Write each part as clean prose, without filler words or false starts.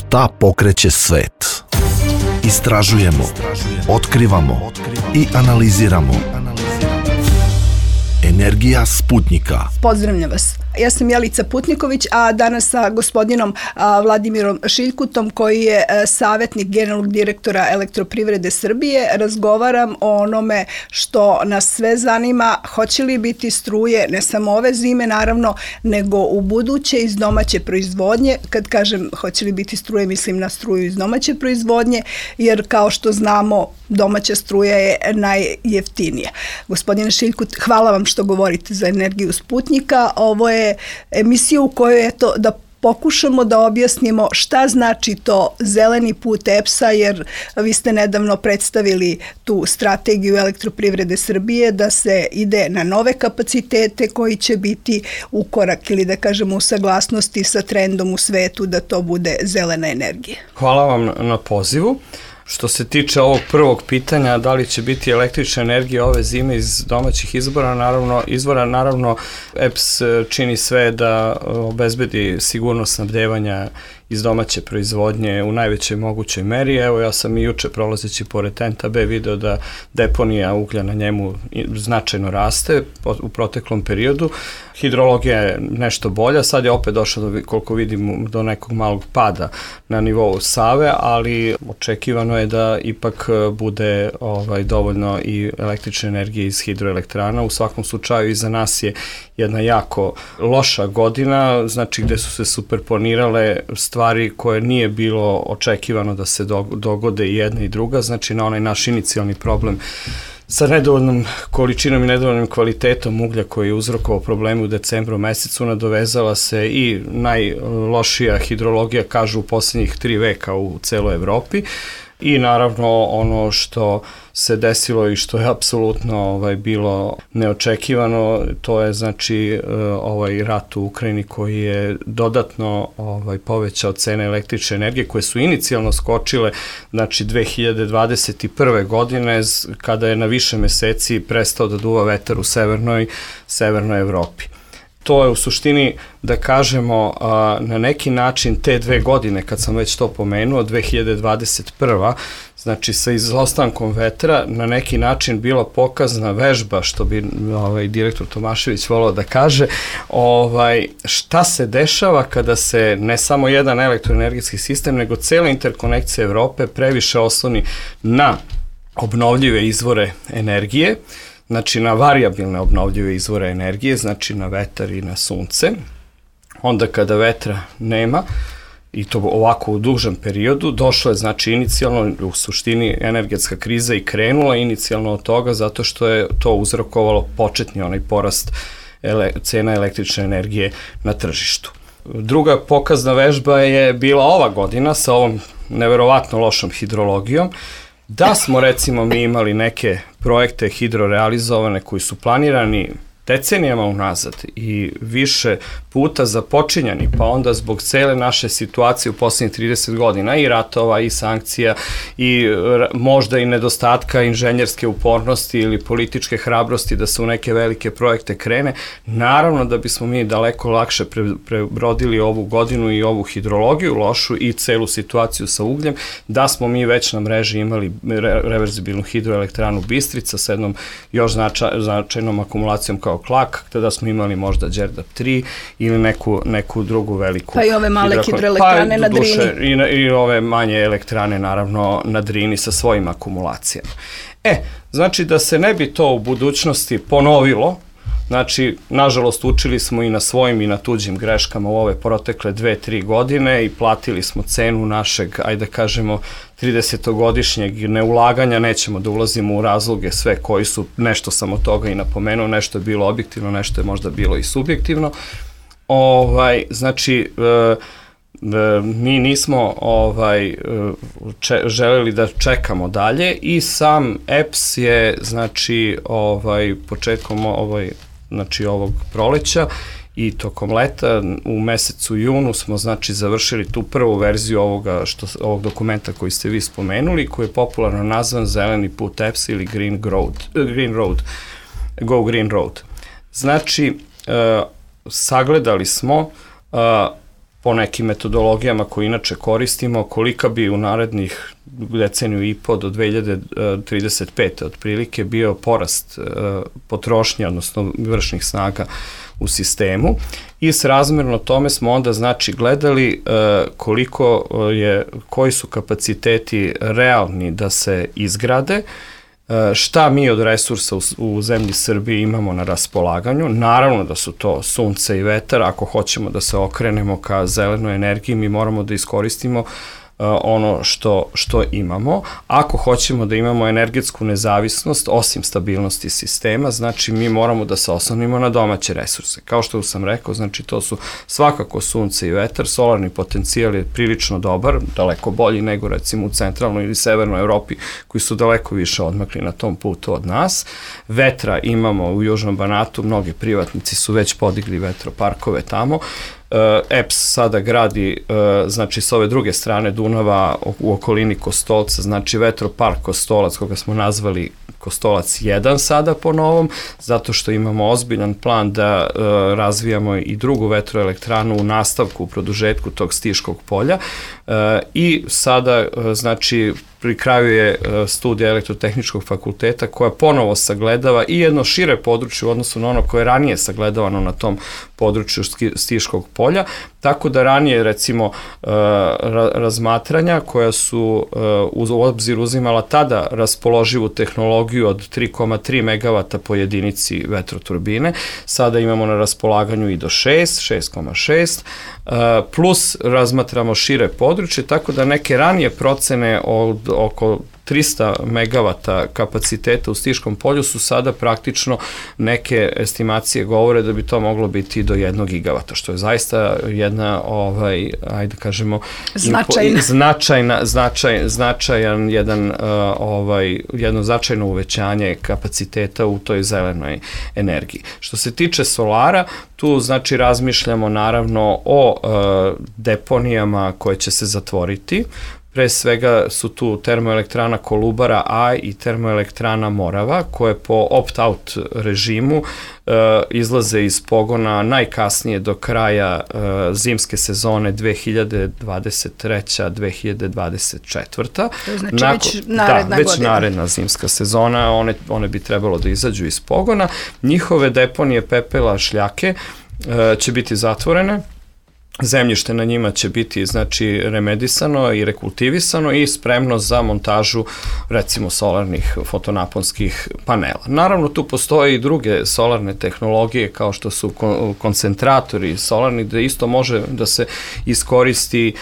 Šta pokreće svet? Istražujemo, otkrivamo i analiziramo. Energija Sputnjika. Pozdravljam vas. Ja sam Jelica Putniković, a danas sa gospodinom Vladimirom Šiljkutom, koji je savjetnik generalnog direktora Elektroprivrede Srbije, razgovaram o onome što nas sve zanima, hoće li biti struje, ne samo ove zime naravno, nego u buduće iz domaće proizvodnje. Kad kažem hoće li biti struje, mislim na struju iz domaće proizvodnje, jer kao što znamo, domaća struja je najjeftinija. Gospodine Šiljkut, hvala vam što govorite za Energiju Sputnjika. Ovo je emisija u kojoj je to da pokušamo da objasnimo šta znači to zeleni put EPS-a, jer vi ste nedavno predstavili tu strategiju Elektroprivrede Srbije da se ide na nove kapacitete koji će biti u korak ili da kažemo u saglasnosti sa trendom u svetu da to bude zelena energija. Hvala vam na pozivu. Što se tiče ovog prvog pitanja, da li će biti električna energija ove zime iz domaćih izvora, naravno EPS čini sve da obezbedi sigurnost snabdevanja iz domaće proizvodnje u najvećoj mogućoj meri. Evo, ja sam i juče prolazeći pored TENT-a B video da deponija uglja na njemu značajno raste u proteklom periodu. Hidrologija je nešto bolja, sad je opet došlo koliko vidim do nekog malog pada na nivou Save, ali očekivano je da ipak bude dovoljno i električne energije iz hidroelektrana. U svakom slučaju iza nas je jedna jako loša godina, znači gde su se superponirale stvari koje nije bilo očekivano da se dogode i jedna i druga, znači na onaj naš inicijalni problem sa nedovoljnom količinom i nedovoljnim kvalitetom uglja koji je uzrokovao probleme u decembru mesecu, nadovezala se i najlošija hidrologija, kažu, u posljednjih 3 veka u celoj Evropi. I naravno ono što se desilo i što je apsolutno bilo neočekivano, to je znači ovaj rat u Ukrajini koji je dodatno povećao cene električne energije koje su inicijalno skočile znači 2021. godine kada je na više meseci prestao da duva vetar u severnoj Evropi. To je u suštini, da kažemo, na neki način te 2 godine, kad sam već to pomenuo, 2021. znači sa izostankom vetra, na neki način bila pokazna vežba, što bi direktor Tomašević volao da kaže, šta se dešava kada se ne samo jedan elektroenergetski sistem, nego cela interkonekcija Evrope previše osloni na obnovljive izvore energije, znači na varijabilne obnovljive izvore energije, znači na vetar i na sunce. Onda kada vetra nema, i to ovako u dužem periodu, došlo je znači inicijalno, u suštini energetska kriza i krenula inicijalno od toga zato što je to uzrokovalo početni onaj porast cena električne energije na tržištu. Druga pokazna vežba je bila ova godina sa ovom neverovatno lošom hidrologijom. Da smo recimo mi imali neke projekte hidrorealizovane koji su planirani decenijama unazad i više puta započinjani, pa onda zbog cele naše situacije u posljednjih 30 godina i ratova i sankcija i možda i nedostatka inženjerske upornosti ili političke hrabrosti da se u neke velike projekte krene, naravno da bismo mi daleko lakše prebrodili ovu godinu i ovu hidrologiju lošu i celu situaciju sa ugljem, da smo mi već na mreži imali reverzibilnu hidroelektranu Bistrica sa jednom još značajnom akumulacijom kao Klak, tada smo imali možda Đerdap 3 ili neku drugu veliku pa i ove male hidroelektrane na Drini. I ove manje elektrane naravno na Drini sa svojim akumulacijama. Znači da se ne bi to u budućnosti ponovilo, znači, nažalost, učili smo i na svojim i na tuđim greškama u ove protekle 2-3 godine i platili smo cenu našeg, ajde da kažemo, 30-godišnjeg neulaganja, nećemo da ulazimo u razloge sve koji su, nešto sam od toga i napomenuo, nešto je bilo objektivno, nešto je možda bilo i subjektivno. Znači, mi nismo želeli da čekamo dalje i sam EPS je, znači, početkom ovog proleća i tokom leta u mesecu junu smo znači završili tu prvu verziju ovog dokumenta koji ste vi spomenuli, koji je popularno nazvan Zeleni put EPS ili Go Green Road. Znači, sagledali smo po nekim metodologijama koje inače koristimo, kolika bi u narednih deceniju i po do 2035. otprilike bio porast potrošnje, odnosno vršnih snaga u sistemu, i srazmerno tome smo onda znači gledali koji su kapaciteti realni da se izgrade, šta mi od resursa u zemlji Srbiji imamo na raspolaganju. Naravno da su to sunce i vetar. Ako hoćemo da se okrenemo ka zelenoj energiji, mi moramo da iskoristimo ono što imamo. Ako hoćemo da imamo energetsku nezavisnost, osim stabilnosti sistema, znači mi moramo da se oslonimo na domaće resurse. Kao što sam rekao, znači to su svakako sunce i vetar. Solarni potencijal je prilično dobar, daleko bolji nego recimo u centralnoj ili severnoj Evropi, koji su daleko više odmakli na tom putu od nas. Vetra imamo u Južnom Banatu, mnogi privatnici su već podigli vetroparkove tamo. EPS sada gradi, znači s ove druge strane Dunava u okolini Kostolca, znači vetropark Kostolac, koga smo nazvali Kostolac 1 sada po novom, zato što imamo ozbiljan plan da razvijamo i drugu vetroelektranu u nastavku, u produžetku tog Stiškog polja, i sada znači pri kraju je studija Elektrotehničkog fakulteta koja ponovo sagledava i jedno šire područje u odnosu na ono koje je ranije sagledavano na tom području Stiškog polja, tako da ranije recimo razmatranja koja su u obzir uzimala tada raspoloživu tehnologiju od 3,3 MW po jedinici vetroturbine, sada imamo na raspolaganju i do 6,6, plus razmatramo šire područje, tako da neke ranije procene od oko 300 MW kapaciteta u Stiškom polju su sada praktično, neke estimacije govore da bi to moglo biti do 1 gigavata, što je zaista jedna, ajde kažemo, značajan jedno značajno uvećanje kapaciteta u toj zelenoj energiji. Što se tiče solara, tu znači razmišljamo naravno o deponijama koje će se zatvoriti. Pre svega su tu termoelektrana Kolubara A i termoelektrana Morava, koje po opt-out režimu izlaze iz pogona najkasnije do kraja zimske sezone 2023-2024. Znači već naredna godina. Već naredna zimska sezona, one bi trebalo da izađu iz pogona. Njihove deponije pepela, šljake će biti zatvorene. Zemljište na njima će biti znači remedisano i rekultivisano i spremno za montažu recimo solarnih fotonaponskih panela. Naravno tu postoje i druge solarne tehnologije kao što su koncentratori solarni, da isto može da se iskoristi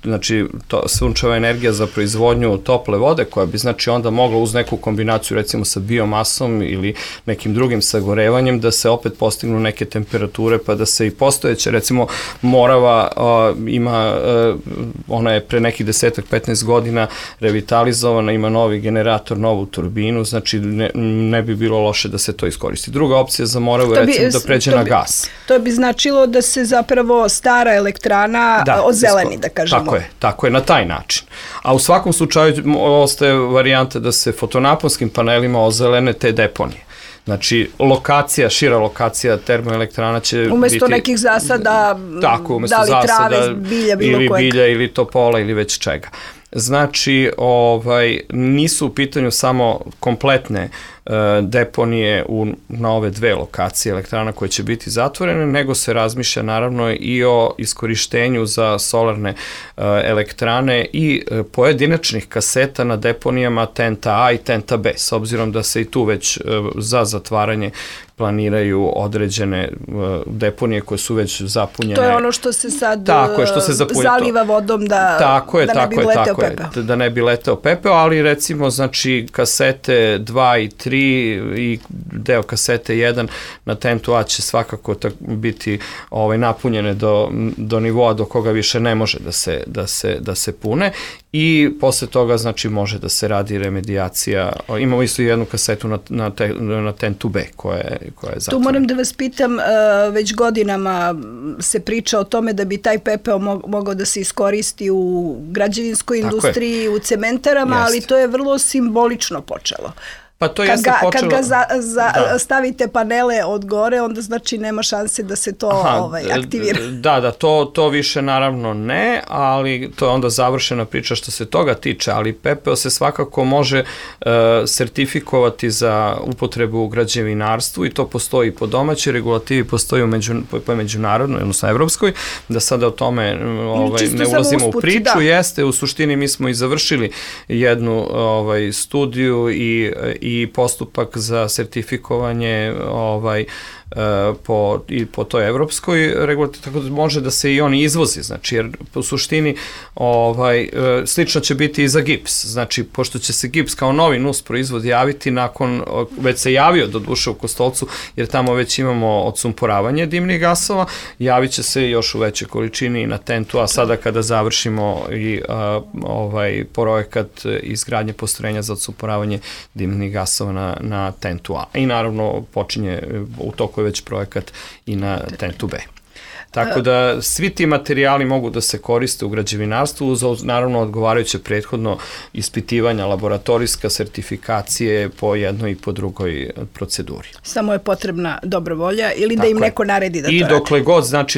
znači sunčeva energija za proizvodnju tople vode, koja bi znači onda mogla uz neku kombinaciju recimo sa biomasom ili nekim drugim sagorevanjem da se opet postignu neke temperature, pa da se i postojeće, recimo Morava ima, ona je pre nekih 10-15 godina revitalizovana, ima novi generator, novu turbinu, znači ne bi bilo loše da se to iskoristi. Druga opcija za Moravu je recimo da pređe na gas. To bi značilo da se zapravo stara elektrana ozeleni, da kažemo. Tako je, na taj način. A u svakom slučaju ostaje varijanta da se fotonaponskim panelima ozelene te deponije. Znači, šira lokacija termoelektrana će biti... Umesto nekih zasada, da li trave, bilja, bilo kojeg. Ili bilja, ili topola, ili već čega. Znači, nisu u pitanju samo kompletne deponije na ove dve lokacije elektrana koje će biti zatvorene, nego se razmišlja naravno i o iskorištenju za solarne elektrane i pojedinačnih kaseta na deponijama Tenta A i Tenta B, s obzirom da se i tu već za zatvaranje planiraju određene deponije koje su već zapunjene. To je ono što se sad zaliva vodom da ne bi leteo pepeo. Da ne bi leteo pepeo, ali recimo znači kasete 2 i 3 i deo kasete 1 na Tentu A će svakako biti napunjene do nivoa do koga više ne može da se pune, i posle toga znači može da se radi remedijacija. Imamo isto jednu kasetu na Tentu B koja je zatvorena. Tu moram da vas pitam, već godinama se priča o tome da bi taj pepeo mogao da se iskoristi u građevinskoj industriji, u cementarama, ali to je vrlo simbolično počelo. Pa to jeste počelo... Kad ga stavite panele od gore, onda znači nema šanse da se to aktivira. Da, to više naravno ne, ali to je onda završena priča što se toga tiče, ali pepeo se svakako može sertifikovati za upotrebu u građevinarstvu i to postoji po domaćoj regulativi, postoji po međunarodnoj, odnosno evropskoj, da sada o tome ne ulazimo u priču. Jeste, u suštini mi smo i završili jednu studiju i postupak za sertifikovanje po toj evropskoj regulativi, tako da može da se i on izvozi, znači, jer u suštini slično će biti i za gips, znači, pošto će se gips kao novi nus proizvod javiti već se javio do duše u Kostolcu, jer tamo već imamo odsumporavanje dimnih gasova, javit će se još u većoj količini na TENT-u, a sada kada završimo i projekat izgradnje postrojenja za odsumporavanje dimnih gasova na TENT-u A. I naravno počinje u toku već projekat i na TENT-u B. Tako da svi ti materijali mogu da se koriste u građevinarstvu uz naravno odgovarajuće prethodno ispitivanja, laboratorijska sertifikacije po jednoj i po drugoj proceduri. Samo je potrebna dobra volja ili da im neko naredi da to radi. I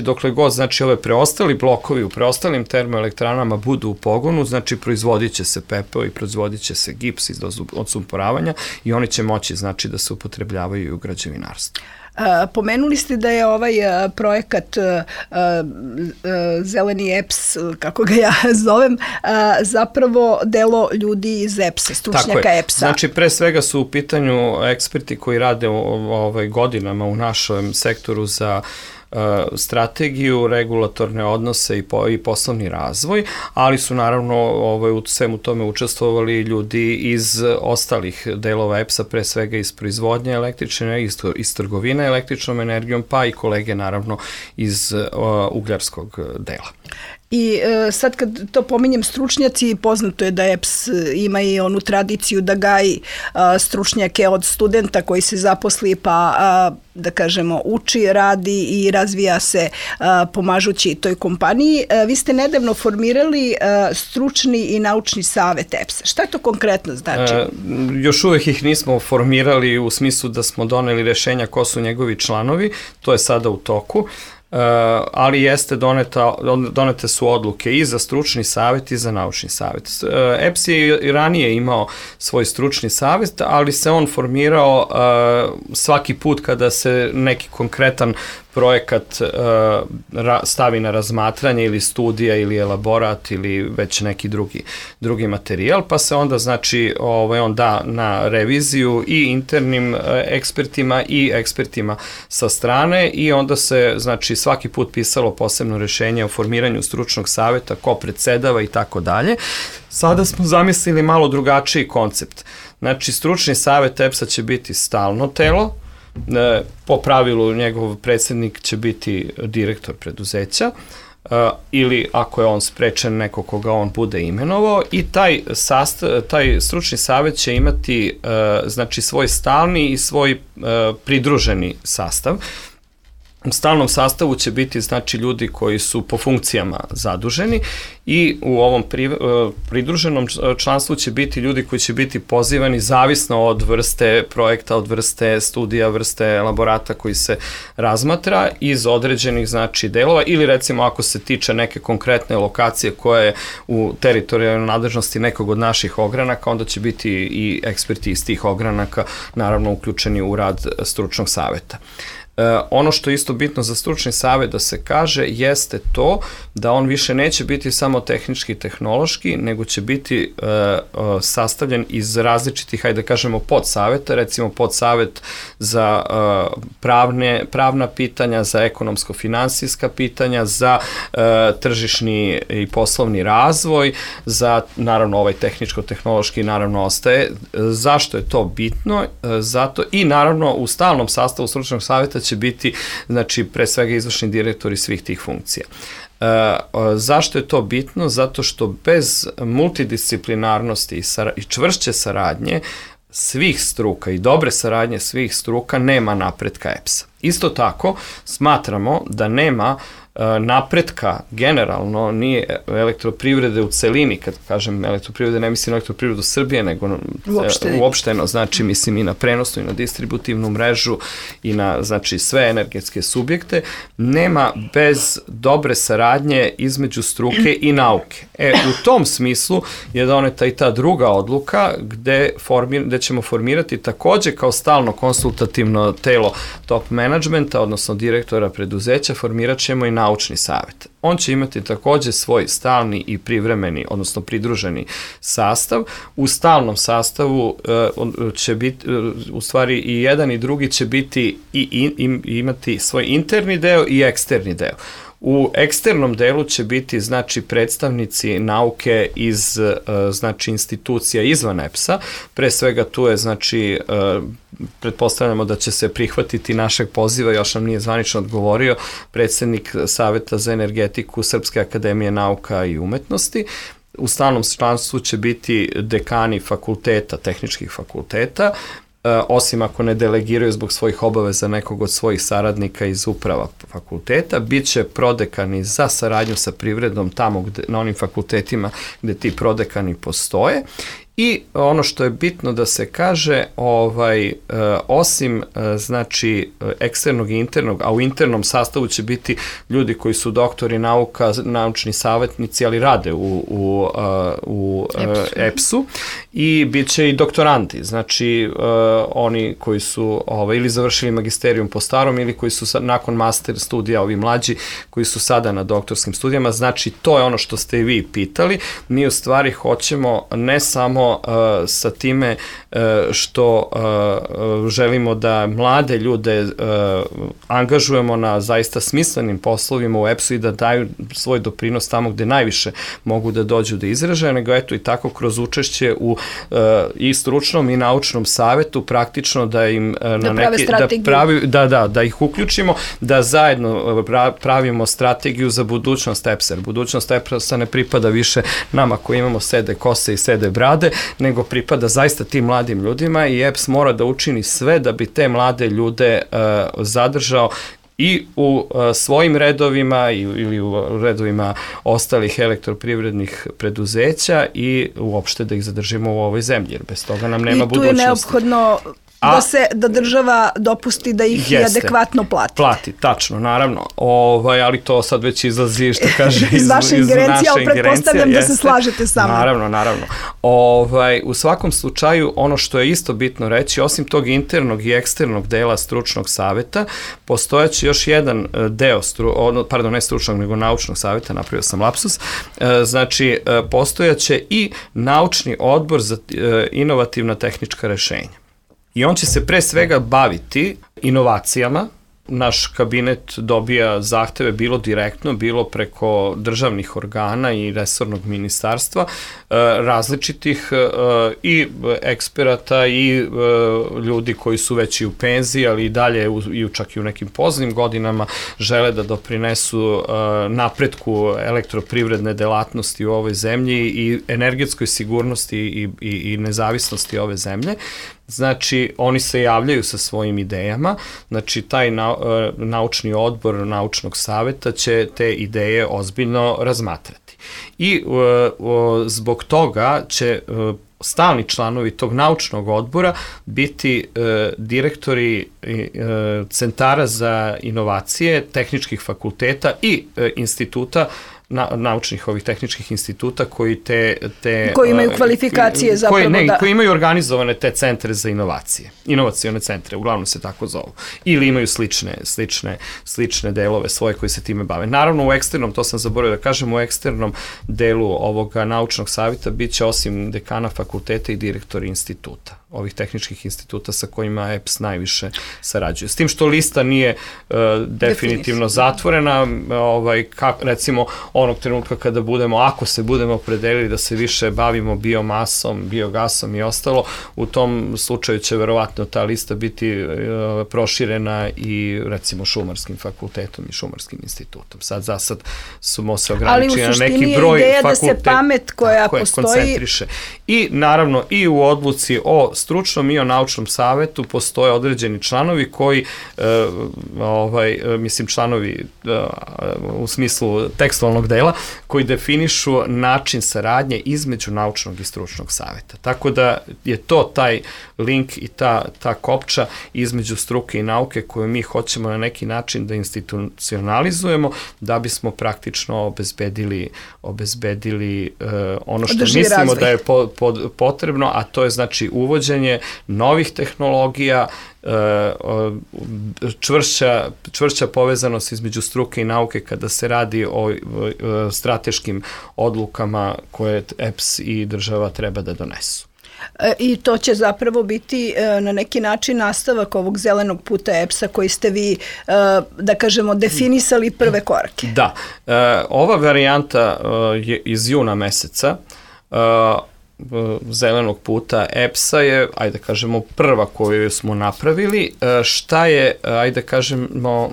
dokle god ove preostali blokovi u preostalim termoelektranama budu u pogonu, znači proizvodit će se pepeo i proizvodit će se gips iz odsumporavanja i oni će moći znači da se upotrebljavaju i u građevinarstvu. Pomenuli ste da je ovaj projekat Zeleni EPS, kako ga ja zovem, zapravo delo ljudi iz EPS-a, stručnjaka EPS-a. Znači, pre svega su u pitanju eksperti koji rade godinama u našem sektoru za strategiju, regulatorne odnose i poslovni razvoj, ali su naravno u svemu tome učestvovali ljudi iz ostalih delova EPS-a, pre svega iz proizvodnje električne energije, iz trgovine električnom energijom, pa i kolege naravno iz ugljarskog dela. I sad kad to pominjem stručnjaci, poznato je da EPS ima i onu tradiciju da gaji stručnjake od studenta koji se zaposli pa da kažemo uči, radi i razvija se pomažući toj kompaniji. Vi ste nedavno formirali stručni i naučni savet EPS-a. Šta to konkretno znači? Još uvek ih nismo formirali u smislu da smo doneli rešenja ko su njegovi članovi, to je sada u toku. Ali donete su odluke i za stručni savjet i za naučni savjet. EPS je i ranije imao svoj stručni savjet, ali se on formirao svaki put kada se neki konkretan projekat stavi na razmatranje ili studija ili elaborat ili već neki drugi materijal, pa se onda znači on da na reviziju i internim ekspertima i ekspertima sa strane i onda se znači svaki put pisalo posebno rešenje o formiranju stručnog savjeta, ko predsedava i tako dalje. Sada smo zamislili malo drugačiji koncept. Znači stručni savjet EPS-a će biti stalno telo, po pravilu njegov predsednik će biti direktor preduzeća ili ako je on sprečen neko koga on bude imenovao i taj stručni savjet će imati znači svoj stalni i svoj pridruženi sastav. U stalnom sastavu će biti znači ljudi koji su po funkcijama zaduženi i u ovom pridruženom članstvu će biti ljudi koji će biti pozivani zavisno od vrste projekta, od vrste studija, vrste elaborata koji se razmatra iz određenih znači delova ili recimo ako se tiče neke konkretne lokacije koja je u teritorijalnoj nadležnosti nekog od naših ogranaka, onda će biti i eksperti iz tih ogranaka naravno uključeni u rad stručnog savjeta. Ono što je isto bitno za stručni savjet da se kaže jeste to da on više neće biti samo tehnički i tehnološki, nego će biti sastavljen iz različitih, hajde da kažemo, podsaveta, recimo podsavjet za pravna pitanja, za ekonomsko-finansijska pitanja, za tržišni i poslovni razvoj, za naravno ovaj tehničko-tehnološki naravno ostaje. Zašto je to bitno? Zato i naravno u stalnom sastavu stručnog savjeta će biti, znači, pre svega izvršni direktori svih tih funkcija. Zašto je to bitno? Zato što bez multidisciplinarnosti i čvršće saradnje svih struka i dobre saradnje svih struka nema napretka EPS-a. Isto tako, smatramo da nema napretka generalno nije elektroprivrede u celini, kad kažem elektroprivrede ne mislim na elektroprivredu Srbije, nego uopšteno, znači mislim i na prenosnu i na distributivnu mrežu i na znači sve energetske subjekte, nema bez dobre saradnje između struke i nauke. U tom smislu je doneta i ta druga odluka gde ćemo formirati takođe kao stalno konsultativno telo top managementa, odnosno direktora preduzeća, formirat ćemo i naučni savet. On će imati takođe svoj stalni i privremeni, odnosno pridruženi sastav. U stalnom sastavu će biti, u stvari i jedan i drugi će biti i imati svoj interni deo i eksterni deo. U eksternom delu će biti znači predstavnici nauke iz znači institucija izvan EPS-a, pre svega tu je znači pretpostavljamo da će se prihvatiti našeg poziva, još nam nije zvanično odgovorio predsednik Saveta za energetiku Srpske akademije nauka i umetnosti. U stalnom članstvu će biti dekani fakulteta, tehničkih fakulteta, osim ako ne delegiraju zbog svojih obaveza nekog od svojih saradnika iz uprava fakulteta, bit će prodekani za saradnju sa privredom tamo na onim fakultetima gde ti prodekani postoje. I ono što je bitno da se kaže, osim znači eksternog i internog, a u internom sastavu će biti ljudi koji su doktori nauka, naučni savjetnici, ali rade u EPS-u i bit će i doktoranti, znači oni koji su ili završili magisterijum po starom ili koji su nakon master studija, ovi mlađi koji su sada na doktorskim studijama, znači to je ono što ste i vi pitali. Mi u stvari hoćemo ne samo sa time što želimo da mlade ljude angažujemo na zaista smislenim poslovima u EPS-u i da daju svoj doprinos tamo gde najviše mogu da dođu da izražaju, nego eto i tako kroz učešće u i stručnom i naučnom savetu praktično da im da ih uključimo, da zajedno pravimo strategiju za budućnost EPS-a. Budućnost EPS-a ne pripada više nama koji imamo sede kose i sede brade, nego pripada zaista tim mladim ljudima i EPS mora da učini sve da bi te mlade ljude zadržao i u svojim redovima ili u redovima ostalih elektroprivrednih preduzeća i uopšte da ih zadržimo u ovoj zemlji, jer bez toga nam nema budućnosti. I tu je neophodno da država dopusti da ih i adekvatno plati. Plati, tačno, naravno. Ali to sad već izlazi, što kaže, iz naše ingerencije, ali pretpostavljam da se slažete sa mnom. Naravno. U svakom slučaju, ono što je isto bitno reći, osim tog internog i eksternog dela stručnog saveta, postojaće još jedan deo, ne stručnog, nego naučnog saveta, napravio sam lapsus, znači, postojaće i naučni odbor za inovativna tehnička rešenja. I on će se pre svega baviti inovacijama. Naš kabinet dobija zahteve bilo direktno, bilo preko državnih organa i resornog ministarstva, različitih i eksperata i ljudi koji su već i u penziji, ali i dalje čak i u nekim poznim godinama žele da doprinesu napretku elektroprivredne delatnosti u ovoj zemlji i energetskoj sigurnosti i nezavisnosti ove zemlje. Znači, oni se javljaju sa svojim idejama, znači taj naučni odbor naučnog saveta će te ideje ozbiljno razmatrati. I zbog toga će stalni članovi tog naučnog odbora biti direktori centara za inovacije, tehničkih fakulteta i instituta, naučnih ovih tehničkih instituta koji koji imaju kvalifikacije koji imaju organizovane te centre za inovacije, inovacione centre, uglavnom se tako zovu, ili imaju slične delove svoje koji se time bave. Naravno u eksternom, to sam zaboravio da kažem, u eksternom delu ovoga naučnog savjeta bit će osim dekana fakulteta i direktori instituta, ovih tehničkih instituta sa kojima EPS najviše sarađuje. S tim što lista nije definitivno zatvorena, recimo onog trenutka kada ako se budemo opredelili da se više bavimo biomasom, biogasom i ostalo, u tom slučaju će verovatno ta lista biti proširena i recimo šumarskim fakultetom i šumarskim institutom. Za sad smo se ograničili na neki broj fakulteta. Ali u suštini je ideja da se pamet koja postoji koncentriše. I naravno i u odluci o stručnom i o naučnom savetu postoje određeni članovi koji, mislim članovi u smislu tekstualnog dela, koji definišu način saradnje između naučnog i stručnog saveta. Tako da je to taj link i ta kopča između struke i nauke koju mi hoćemo na neki način da institucionalizujemo da bismo praktično obezbedili ono što mislimo da je potrebno, a to je znači uvođenje novih tehnologija, čvršća povezanost između struke i nauke kada se radi o strateškim odlukama koje EPS i država treba da donesu. I to će zapravo biti na neki način nastavak ovog zelenog puta EPS-a koji ste vi, da kažemo, definisali prve korake. Da, ova varijanta je iz juna meseca, zelenog puta EPS-a je, ajde kažemo, prva koju smo napravili. Šta je, ajde kažemo,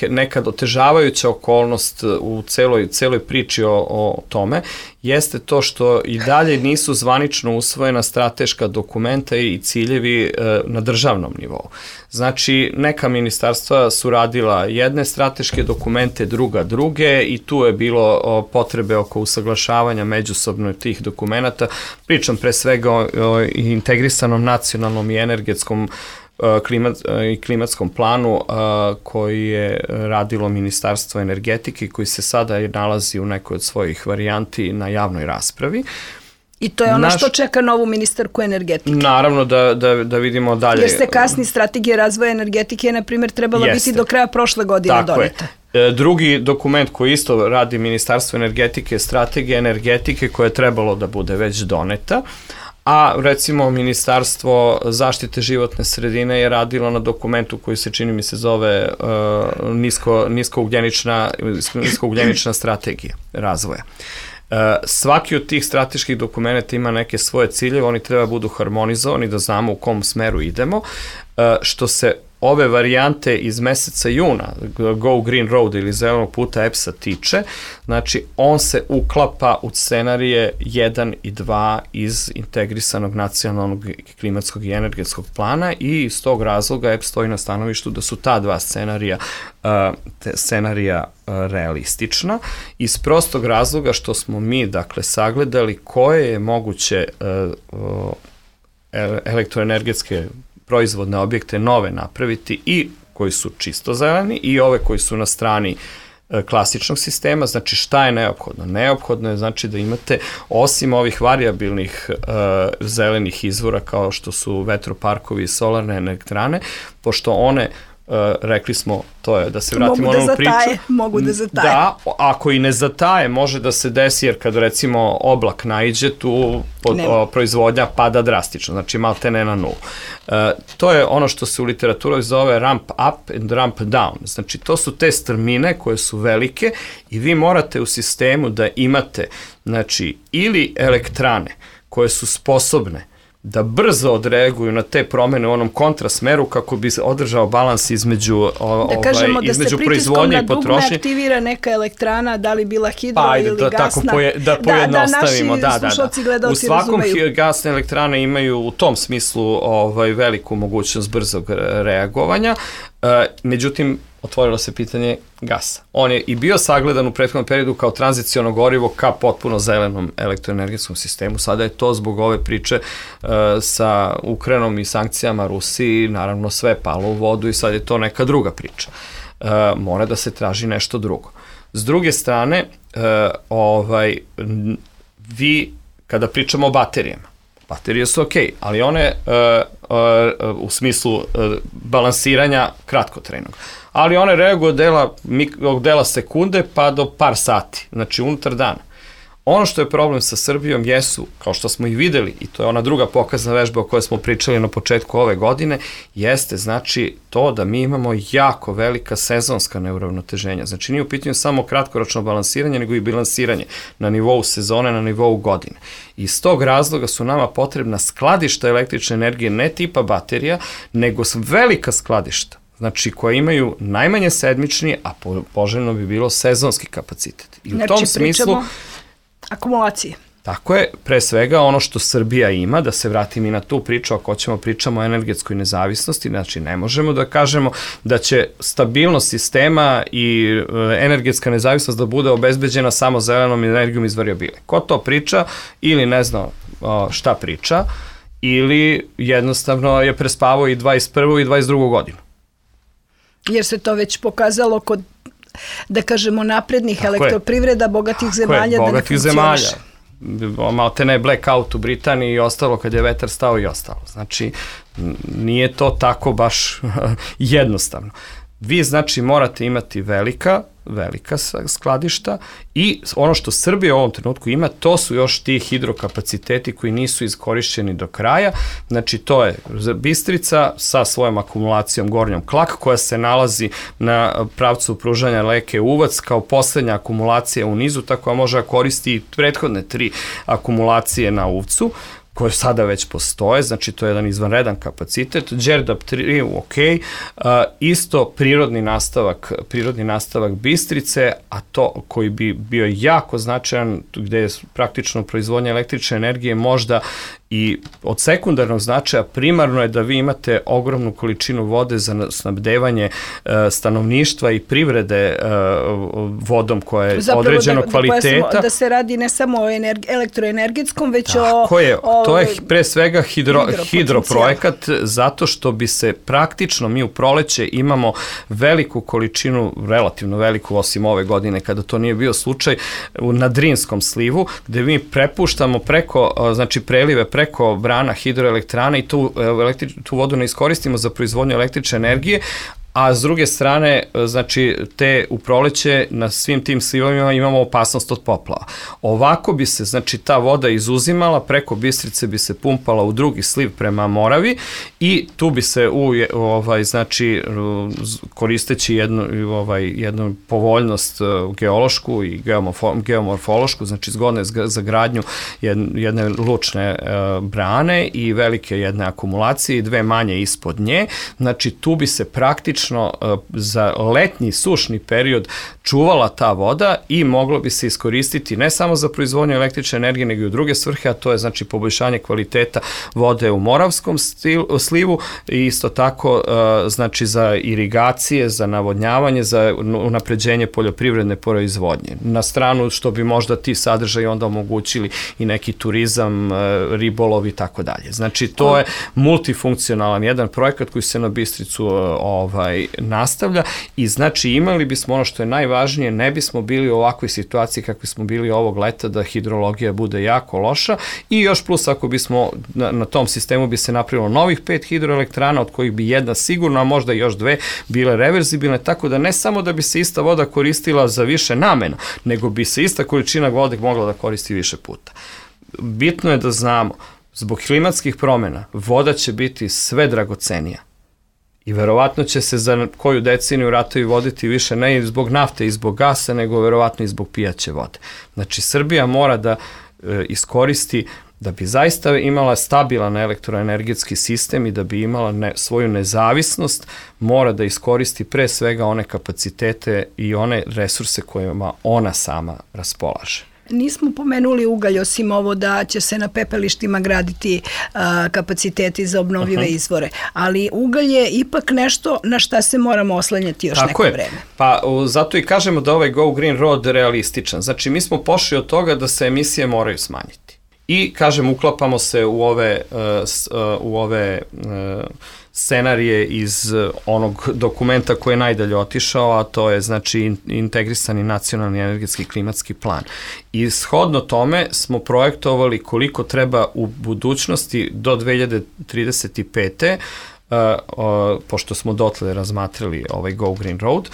nekad otežavajuća okolnost u celoj priči o tome, jeste to što i dalje nisu zvanično usvojena strateška dokumenta i ciljevi na državnom nivou. Znači, neka ministarstva su radila jedne strateške dokumente, druge i tu je bilo potrebe oko usaglašavanja međusobno tih dokumenta. Pričam pre svega o integrisanom nacionalnom i energetskom i klimatskom planu koji je radilo Ministarstvo energetike koji se sada nalazi u nekoj od svojih varijanti na javnoj raspravi. I to je ono što čeka novu ministarku energetike. Naravno da vidimo dalje. Jer se kasni strategija razvoja energetike, na primjer, trebala biti do kraja prošle godine doneta. Drugi dokument koji isto radi Ministarstvo energetike je strategija energetike koja je trebalo da bude već doneta, a recimo Ministarstvo zaštite životne sredine je radilo na dokumentu koji se čini mi se zove niskougljenična strategija razvoja. Svaki od tih strateških dokumenta ima neke svoje ciljeve, oni treba budu harmonizovani da znamo u kom smeru idemo. Što se ove varijante iz meseca juna, Go Green Road ili zelenog puta EPS-a tiče, znači on se uklapa u scenarije 1 i 2 iz integrisanog nacionalnog klimatskog i energetskog plana i iz tog razloga EPS stoji na stanovištu da su ta dva scenarija realistična, iz prostog razloga što smo mi, dakle, sagledali koje je moguće elektroenergetske proizvodne objekte nove napraviti i koji su čisto zeleni i ove koji su na strani klasičnog sistema. Znači, šta je neophodno? Neophodno je znači da imate, osim ovih variabilnih zelenih izvora kao što su vetroparkovi i solarne elektrane, pošto one rekli smo, to je da se vratimo na onu priču. Mogu da zataje. Da, ako i ne zataje, može da se desi, jer kad recimo oblak naiđe, tu proizvodnja pada drastično, znači malte ne na nulu. To je ono što se u literaturi zove ramp up and ramp down. Znači, to su te strmine koje su velike i vi morate u sistemu da imate, znači, ili elektrane koje su sposobne da brzo odreaguju na te promene u onom kontrasmeru kako bi se održao balans između proizvodnje i potrošnje. Da dugme aktivira neka elektrana, da li bila hidro ili gasna. Da pojednostavimo. Da naši slušalci gledalci razumeju. U svakom gasne elektrane imaju u tom smislu veliku mogućnost brzog reagovanja. Međutim, otvorilo se pitanje gasa. On je i bio sagledan u prethodnom periodu kao tranziciono gorivo ka potpuno zelenom elektroenergetskom sistemu. Sada je to zbog ove priče sa Ukrajinom i sankcijama Rusiji, naravno sve palo u vodu i sad je to neka druga priča. Mora da se traži nešto drugo. S druge strane, vi, kada pričamo o baterijama, baterije su okej, ali one u smislu balansiranja kratkotrajnog. Ali one reaguju od dela sekunde pa do par sati, znači unutar dana. Ono što je problem sa Srbijom jesu, kao što smo i videli, i to je ona druga pokazna vežba o kojoj smo pričali na početku ove godine, jeste znači to da mi imamo jako velika sezonska neuravnoteženja. Znači nije u pitanju samo kratkoročno balansiranje, nego i bilansiranje na nivou sezone, na nivou godine. Iz tog razloga su nama potrebna skladišta električne energije, ne tipa baterija, nego velika skladišta. Znači, koja imaju najmanje sedmični, a poželjno bi bilo sezonski kapacitet. I u tom smislu akumulacije. Tako je, pre svega ono što Srbija ima, da se vratim i na tu priču, ako ćemo pričamo o energetskoj nezavisnosti, znači ne možemo da kažemo da će stabilnost sistema i energetska nezavisnost da bude obezbeđena samo zelenom energijom iz variabile. Ko to priča ili ne zna šta priča, ili jednostavno je prespavao i 21. i 22. godinu. Jer se to već pokazalo kod, da kažemo, naprednih elektroprivreda, bogatih zemalja da ne funkcioniše. Malte ne blackout u Britaniji i ostalo kad je vetar stao i ostalo. Znači, nije to tako baš jednostavno. Vi, znači, morate imati velika skladišta i ono što Srbija u ovom trenutku ima, to su još ti hidrokapaciteti koji nisu iskorišćeni do kraja. Znači, to je Bistrica sa svojom akumulacijom Gornjom Klak, koja se nalazi na pravcu pružanja reke Uvac kao poslednja akumulacija u nizu, tako da može koristi i prethodne 3 akumulacije na Uvcu, koje sada već postoje, znači to je jedan izvanredan kapacitet. Đerdap 3, ok, isto prirodni nastavak Bistrice, a to koji bi bio jako značajan, gde je praktično proizvodnja električne energije možda i od sekundarnog značaja, primarno je da vi imate ogromnu količinu vode za snabdevanje stanovništva i privrede vodom koja je određenog kvaliteta. Da se radi ne samo o elektroenergetskom, već to je pre svega hidroprojekat, zato što bi se praktično, mi u proleće imamo veliku količinu, relativno veliku, osim ove godine kada to nije bio slučaj, na Drinskom slivu, gde mi prepuštamo znači prelive preko brana hidroelektrana i tu vodu ne iskoristimo za proizvodnju električne energije, a s druge strane, znači, u proleće na svim tim slivovima imamo opasnost od poplava. Ovako bi se, znači, ta voda izuzimala, preko Bistrice bi se pumpala u drugi sliv prema Moravi i tu bi se, znači, koristeći jednu povoljnost geološku i geomorfološku, znači, zgodne za gradnju jedne lučne brane i velike jedne akumulacije i 2 manje ispod nje, znači, tu bi se praktično za letnji sušni period čuvala ta voda i moglo bi se iskoristiti ne samo za proizvodnju električne energije, nego i u druge svrhe, a to je, znači, poboljšanje kvaliteta vode u Moravskom slivu i isto tako, znači, za irigacije, za navodnjavanje, za unapređenje poljoprivredne proizvodnje. Na stranu što bi možda ti sadržaji onda omogućili i neki turizam, ribolov i tako dalje. Znači, to je multifunkcionalan jedan projekat koji se na Bistricu nastavlja i, znači, imali bismo ono što je najvažnije, ne bismo bili u ovakvoj situaciji kakvi smo bili ovog leta, da hidrologija bude jako loša i još plus ako bismo na tom sistemu bi se napravilo novih 5 hidroelektrana, od kojih bi jedna sigurno, a možda još 2 bile reverzibilne, tako da ne samo da bi se ista voda koristila za više namena, nego bi se ista količina vode mogla da koristi više puta. Bitno je da znamo, zbog klimatskih promena voda će biti sve dragocenija. I verovatno će se za koju deceniju ratovi voditi više ne zbog nafte i zbog gasa, nego verovatno i zbog pijaće vode. Znači, Srbija mora da iskoristi, da bi zaista imala stabilan elektroenergetski sistem i da bi imala svoju nezavisnost, mora da iskoristi pre svega one kapacitete i one resurse kojima ona sama raspolaže. Nismo pomenuli ugalj, osim ovo da će se na pepelištima graditi kapaciteti za obnovljive izvore, ali ugalj je ipak nešto na šta se moramo oslanjati još neko vreme. Pa zato i kažemo da ovaj Go Green Road je realističan. Znači, mi smo pošli od toga da se emisije moraju smanjiti. I, kažem, uklapamo se u ove scenarije iz onog dokumenta koji je najdalje otišao, a to je, znači, integrisani nacionalni energetski klimatski plan. I shodno tome smo projektovali koliko treba u budućnosti do 2035. Pošto smo dotle razmatrali ovaj Go Green Road,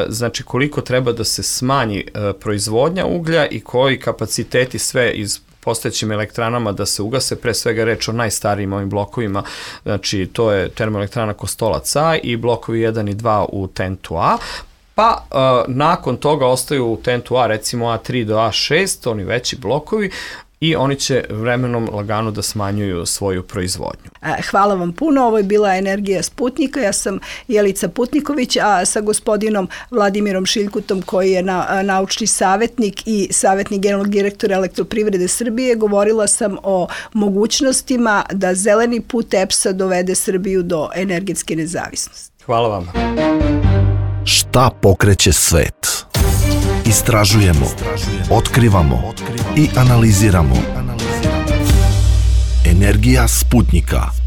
znači koliko treba da se smanji proizvodnja uglja i koji kapaciteti sve iz postojećim elektranama da se ugase, pre svega reč o najstarijim ovim blokovima, znači to je termoelektrana Kostolac A i blokovi 1 i 2 u TENT-u A, pa nakon toga ostaju u TENT-u A recimo A3 do A6, oni veći blokovi, i oni će vremenom lagano da smanjuju svoju proizvodnju. Hvala vam puno, ovo je bila Energija Sputnika, ja sam Jelica Putniković, a sa gospodinom Vladimirom Šiljkutom koji je naučni savjetnik i savjetnik generalnog direktora Elektroprivrede Srbije, govorila sam o mogućnostima da zeleni put EPS-a dovede Srbiju do energetske nezavisnosti. Hvala vam. Šta pokreće svet? Istražujemo, otkrivamo i analiziramo. Energija Sputnika.